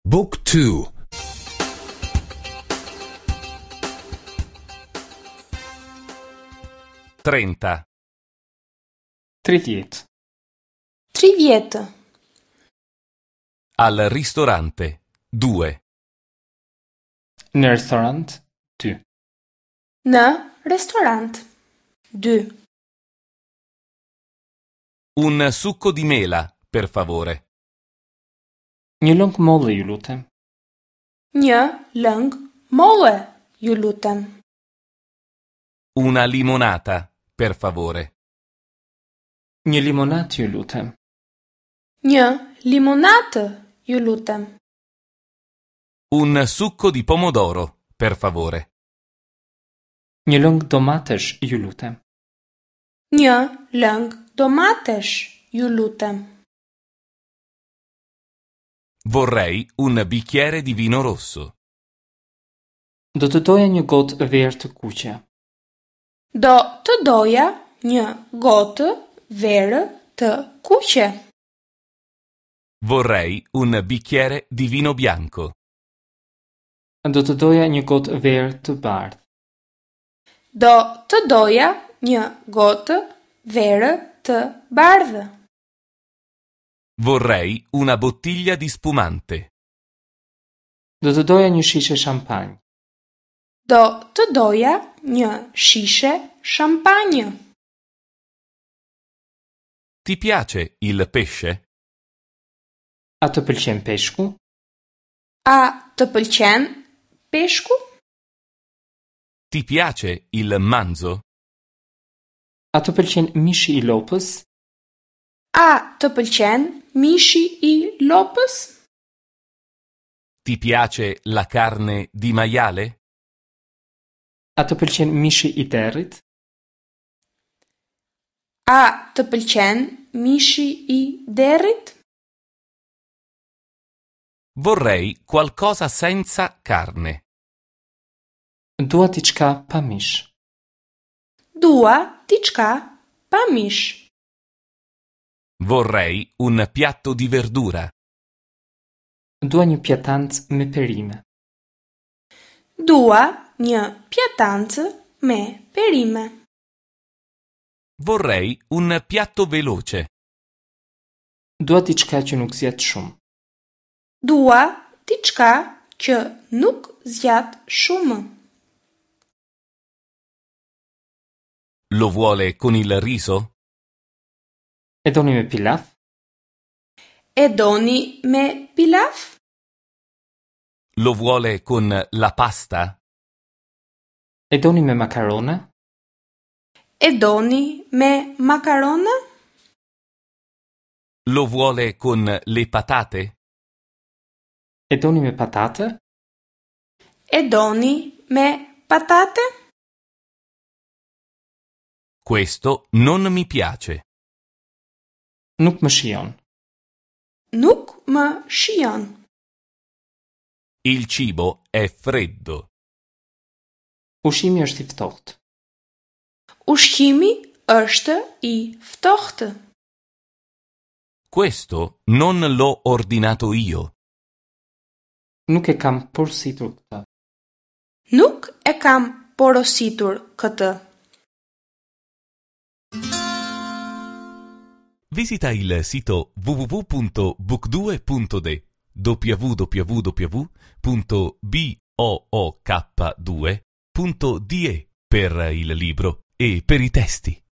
Book 2 30. 30. 30. Al ristorante. 2. Në restorant 2. Në restorant. 2. Un succo di mela, per favore. Një lëng molle, ju lutem. Një lëng molle, ju lutem. Una limonata, per favore. Një limonatë, ju lutem. Një limonatë, ju lutem. Un succo di pomodoro, per favore. Një lëng domatesh, ju lutem. Një lëng domatesh, ju lutem. Vorrei un bicchiere di vino rosso. Do të doja një gotë verë të kuqe. Do të doja një gotë verë të kuqe. Vorrei un bicchiere di vino bianco. Do të doja një gotë verë të bardhë. Do të doja një gotë verë të bardhë. Vorrei una bottiglia di spumante. Do të doja një shishe shampanjë. Do të doja një shishe shampanjë. Ti piace il pesce? A të pëlqen peshku? A të pëlqen peshku? Ti piace il manzo? A të pëlqen mishi i lopës? A të pëlqen mishi i lopës? Ti piace la carne di maiale? A të pëlqen mishi i derrit? A të pëlqen mishi i derrit? Vorrei qualcosa senza carne. Dua diçka pa mish. Dua diçka pa mish. Vorrei un piatto di verdura. Dua një pjatancë me perime. Dua një pjatancë me perime. Vorrei un piatto veloce. Dua diçka që nuk zgjat shumë. Dua diçka që nuk zgjat shumë. Lo vuole con il riso? E doni me pilaf? E doni me pilaf? Lo vuole con la pasta? E doni me makarona? E doni me makarona? Lo vuole con le patate? E doni me patate? E doni me patate? Questo non mi piace. Nuk më shijon. Nuk më shijon. Il cibo è freddo. Ushqimi është i ftohtë. Ushqimi është i ftohtë. Questo non l'ho ordinato io. Nuk e kam porositur këtë. Nuk e kam porositur këtë. Visita il sito www.book2.de www.book2.de per il libro e per i testi.